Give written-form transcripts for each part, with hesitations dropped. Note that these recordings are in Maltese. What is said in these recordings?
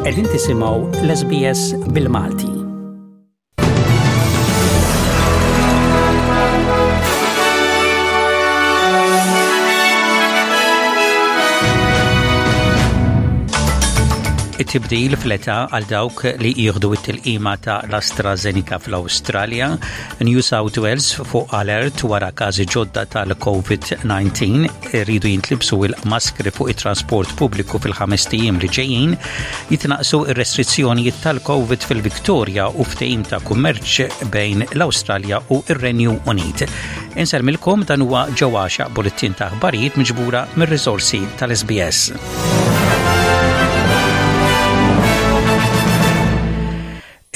Qegħdin tisimgħu l-SBS bil-Malti. It-tibdil fl-età għal dawk li jieħdu it-tilqima ta' l-AstraZeneca fl-Awstralja, New South Wales fuq alert wara każi ġodda tal-COVID-19, iridu jintlibsu il-maskri fuq it-trasport pubbliku fil-ħames ijiem li ġejjin, jitnaqsu ir-restrizzjonijiet tal-COVID fil-Victoria u ftehim ta' kummerċ bejn l-Awstralja u r-Renju Unit. Insellmilkom dan huwa ġewwaxa bulettin ta' aħbarijiet miġbura mir-riżorsi tal-SBS.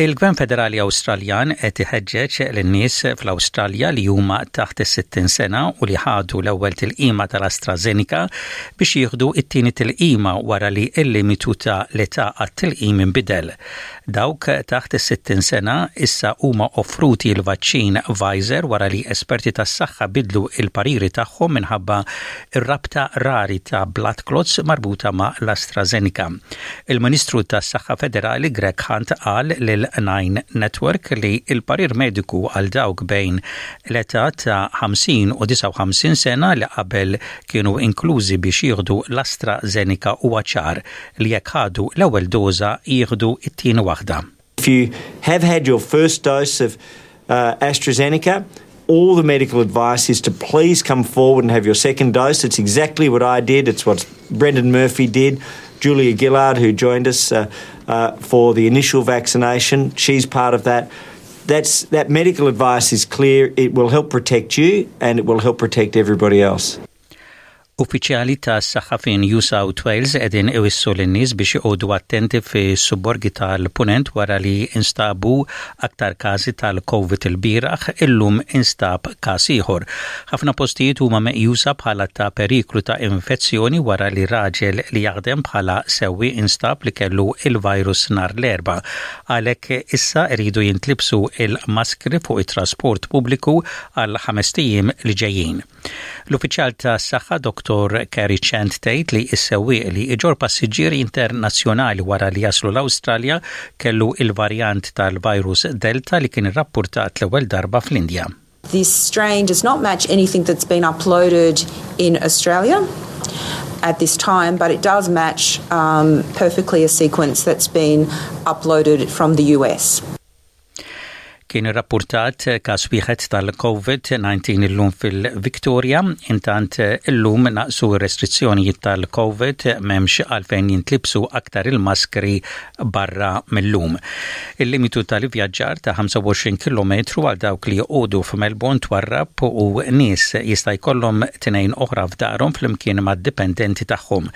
Il-Gvern Federali Awstraljan qed iħeġġeġ lin-nies fl-Awstralja li huma taħt is-60 sena u li ħadu l-ewwel tilqima tal-AstraZeneca biex jieħdu t-tieni tilqima wara li l-limitu ta' l-età għat-tilqim inbidel. Dawk taħt is-60 sena issa huma offruti l-vaċċin Pfizer wara li esperti tas-saħħa bidlu l-pariri tagħhom minħabba r-rabta rari ta' blood clots marbuta ma' l-AstraZeneca. Il-Ministru tas-Saħħa Federali Greg Hunt qal lil Nine Network li l-parir mediku għal dawk bejn l-età ta' 50 u 59 sena li qabel kienu inklużi biex jieħdu l-AstraZeneca huwa ċar li jekk ħadu l-ewwel doża jieħdu t-tieni waħda. If you have had your first dose of uh, AstraZeneca, all the medical advice is to please come forward and have your second dose. It's exactly what I did. It's what Brendan Murphy did. Julia Gillard, who joined us uh, uh, for the initial vaccination, she's part of that. That's, that medical advice is clear. It will help protect you and it will help protect everybody else. Uffiċjali tas-saħħa fi New South Wales qegħdin iwissu lin-nies biex joqogħdu attenti fis-subborgi tal-Punent wara li instabu aktar każi tal-Covid ilbieraħ, illum instab każ ieħor. Ħafna postijiet huma meqjusa bħala ta' periklu ta' infezzjoni wara li raġel li jaħdem bħala sewwieq instab li kellu il-virus nhar l-Erbgħa. Għalhekk issa jridu jintlibsu il-maskri fuq it-trasport pubbliku għal ħamest ijiem li ġejjin. L-uffiċjal tas-saħħa Dottor Kerry Chant tgħid li s-sewwieq li iġorr passiġġieri internazzjonali wara li jaslu l-Awstralja kellu il-varjant tal-virus Delta li kien irrappurtat l-ewwel darba fl-Indja. This strain does not match anything that's been uploaded in Australia at this time, but it does match um, perfectly a sequence that's been uploaded from the US. Kien irrappurtat każ wieħed tal-COVID-19 illum fil-Victoria, intant illum naqsu r-restrizzjonijiet tal-COVID m'hemmx għalfejn jintlibsu aktar il-maskri barra mil-lum. Il-limitu tal-ivvjaġġar ta' 25 kilometru għal dawk li joqogħdu f'Melbourne twarrab u nies jista' jkollhom tnejn oħra f'darhom flimkien mad-dipendenti tagħhom.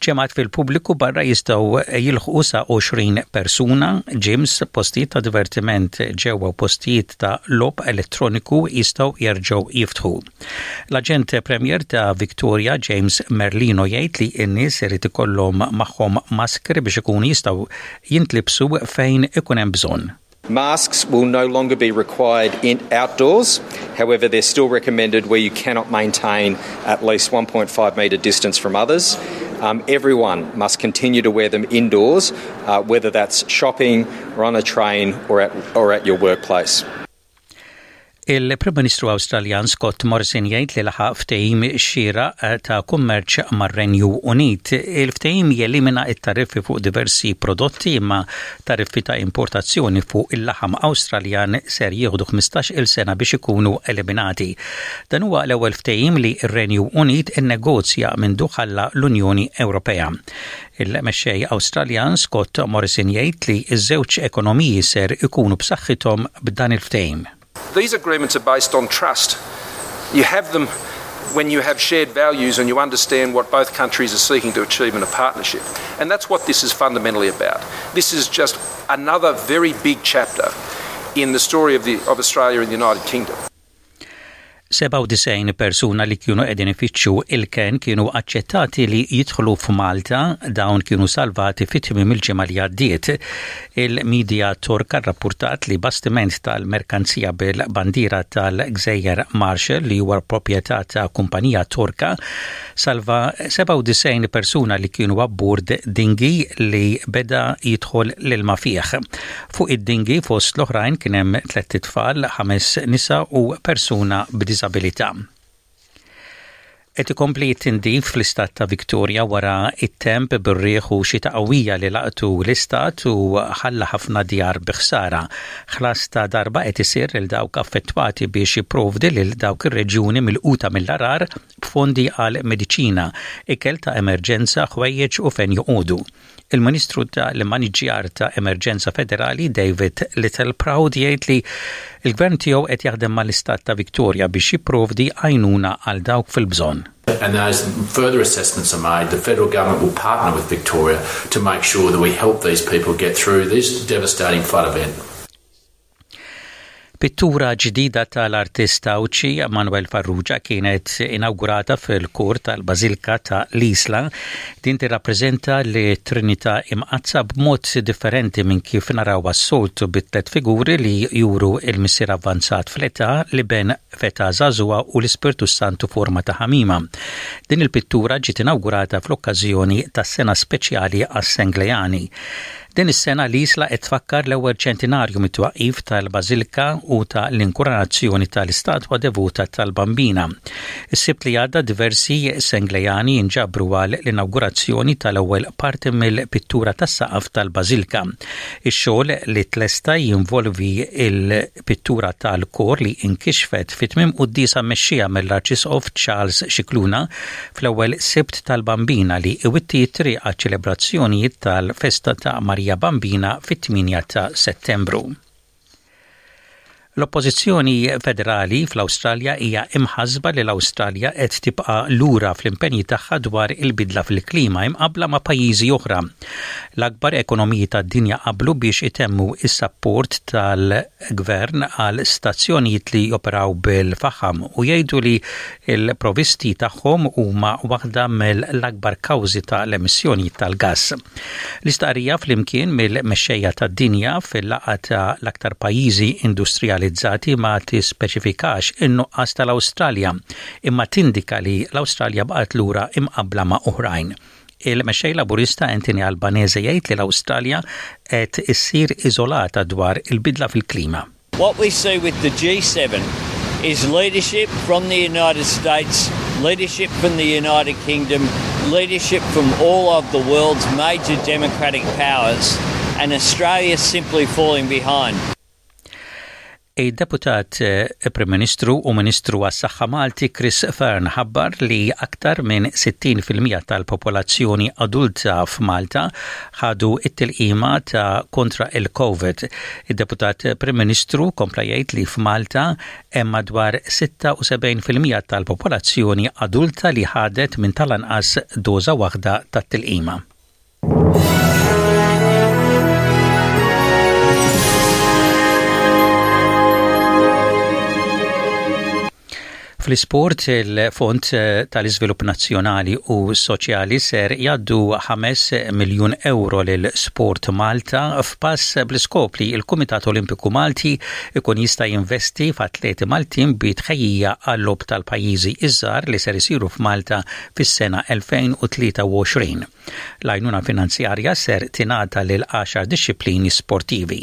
Ġemgħat fil-pubbliku barra jistgħu jilħqu sa 20 persuna, gyms, postijiet ta' divertiment ġewwa u postijiet ta' logħob elettroniku jistgħu jerġgħu jiftħu. L-Aġent Premier ta' Victoria James Merlino jgħid li n-nies irid ikollhom magħhom maskri biex ikunu jistgħu jintlibsu fejn ikun hemm bżonn. Masks will no longer be required in outdoors. However, they're still recommended where you cannot maintain at least 1.5 metre distance from others. Um, everyone must continue to wear them indoors, uh, whether that's shopping or on a train or at, or at your workplace. Il-Prim Ministru Awstraljan Scott Morrison jgħid li laħaq ftehim xieraq eh, ta' kummerċ mar-Renju Unit. Il-ftehim jelimina t-tariffi fuq diversi prodotti imma tariffi ta' importazzjoni fuq il-laħam Awstraljan ser jieħdu 15-il sena biex ikunu eliminati. Dan huwa l-ewwel ftehim li r-Renju Unit innegozja mindu ħalla l-Unjoni Ewropea. Il-mexxej Awstraljan Scott Morrison jgħid li ż-żewġ ekonomiji ser ikunu b'saħħithom b'dan il-ftehim. These agreements are based on trust. You have them when you have shared values and you understand what both countries are seeking to achieve in a partnership. And that's what this is fundamentally about. This is just another very big chapter in the story of, the, of Australia and the United Kingdom. 97 persuna li kienu qegħdin ifittxu il-kenn kienu aċċettati li jidħlu f'Malta, dawn kienu salvati fi tmiem il-ġimgħa li għaddiet. Il-midja Torka rrappurtat li bastiment tal-merkanzija bil-bandiera tal-Gżejjer Marshall li huwa proprjetà ta' kumpanija Torka salva 97 persuna li kienu abbord dinghy li beda jidħol l-ilma fih. Fuq id-dinghy fost l-oħrajn kien hemm tlett itfal, ħames nisa u persuna b'diżabilità. Qed ikompli t-tindif fl-istat ta' Victoria wara t-temp bir-riħ u xita qawwija li laqtu l-istat u ħalla ħafna djar bi ħsara. Ħlas ta' darba qed isir lil dawk affettwati biex jipprovdi lil dawk ir-reġjuni milquta mill-għarar b'fondi għal mediċina, ikel ta' emerġenza, ħwejjeġ u fejn joqogħdu. Il-Ministru ta' l-Immaniġġjar ta' Emerġenza Federali David Littleproud jgħid li l-Gvern tiegħu qed jaħdem mal-Istat ta' Victoria biex jipprovdi għajnuna għal dawk fil-bżonn. And those further assessments are made, the federal government will partner with Victoria to make sure that we help these people get through this devastating flood event. Pittura ġdida tal-artist Għawdxi Manuel Farrugia kienet inawgurata fil-kur tal-Bażilka ta' l-Isla. Din tirrappreżenta lit-Trinità Imqaddsa b'mod differenti minn kif narawha s-soltu bi tliet figuri li juru l-Missier avvanzat fl-età, l-Iben f'età żagħżugħa u l-Ispirtu s-Santu forma ta' ħamima. Din il-pittura ġiet inawgurata fl-okkażjoni tas-Sena Speċjali għas-Sengleani. Din is-sena l-Isla qed tfakkar l-ewwel ċentinarju mit-twaqqif tal-Bażilka u ta' l-inkuranazzjoni tal-istatwa devota tal-Bambina. Is-Sibt li għadda diversi Senglejani inġabru għal l-inawgurazzjoni tal-ewwel parti mill-pittura tas-saqaf tal-Bażilka. Ix-xogħol li tlesta jinvolvi l-pittura tal-kor li inkixfet fi tmiem quddiesa mmexxija mill-Arċisqof Charles Scicluna fl-ewwel Sibt tal-Bambina li iwitti t-triq għaċ-ċelebrazzjonijiet tal-festa ta' Marija Bambina fit-8 ta' Settembru. L-Oppożizzjoni Federali fl-Awstralja hija imħassba li l-Awstralja qed tibqa' lura fl-impenji tagħha dwar il-bidla fil-klima imqabbla ma' pajjiżi oħra. L-akbar ekonomiji tad-dinja qablu biex itemmu s-sapport tal-gvern għal stazzjonijiet li joperaw bil-faħam u jgħidu li Il-provisti tagħhom huma waħda mill-akbar kawżi ta' l-emissjonijiet tal-gass. L-istqarrija flimkien mill-mexxejja tad-dinja fil-laqgħa ta' l-aktar pajjiżi industrijalizzati ma tispeċifikax in-nuqqas tal-Awstralja, imma tindika li l-Awstralja baqgħet lura imqabbla ma' oħrajn. Il-Mexxej Laburista Anthony Albanese jgħid li l-Awstralja qed issir iżolata dwar il-bidla fil-klima. What we see with the G7 is leadership from the United States, leadership from the United Kingdom, leadership from all of the world's major democratic powers, and Australia simply falling behind. Id-Deputat eh, Prim Ministru u Ministru għas-Saħħa Malti Chris Fearne ħabbar li aktar minn 60% tal-popolazzjoni adulta f'Malta ħadu it-tilqima ta' kontra il-Covid. Id-Deputat Prim Ministru kompla jgħid li f'Malta hemm madwar 76% tal-popolazzjoni adulta li ħadet minn tal-anqas doża waħda tat-tilqima. Fl-isport, il-Fond tal-Iżvilupp Nazzjonali u Soċjali ser jgħaddu 5 miljun ewro lil Sport Malta f'pass bl-iskop li l-Kumitat Olimpiku Malti ikun jista' jinvesti f'atleti Maltin bi tħejjija għal-Logħob tal-Pajjiżi iż-Żgħar li ser isiru f'Malta fis-sena 2023. L-għajnuna finanzjarja ser tingħata lil għaxar dixxiplini sportivi.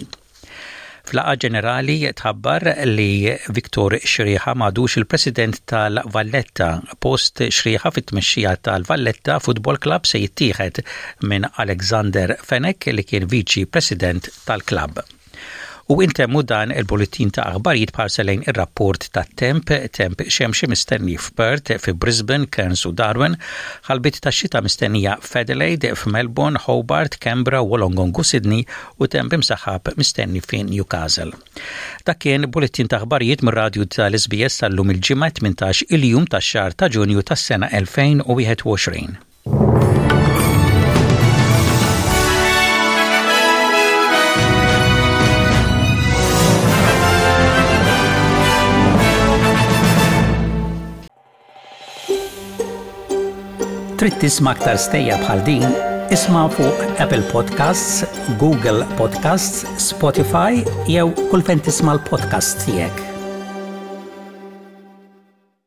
F'laqgħa ġenerali tħabbar li Victor Xrieħa m'għadux il-President tal-Valletta. Post Xrieħa fit-tmexxija tal-Valletta Football Club se jittieħed minn Alexander Fenech li kien Viċi President tal-klabb. U intemmu dan il-bulletin ta' aħbarijiet b'ħarsa lejn ir-rapport tat-temp, temp xemxi mistenni f'Perth, fi Brisbane, Cairns u Darwin, ħalbiet ta' xita mistennija f'Adelaide, f'Melbourne, Hobart, Canberra, Wollongong u Sydney u temp imsaħħab mistenni fi Newcastle. Dak kien bulletin ta' aħbarijiet mir-radju tal-SBS tal-lum il-Ġimgħa 18 il-jum tax-xahar ta' Ġunju tas-sena 2021. Trid tisma' aktar stejjer bħal din? Isma' fuq Apple Podcasts, Google Podcasts, Spotify jew kull fejn tisma' l-podcasts tiegħek.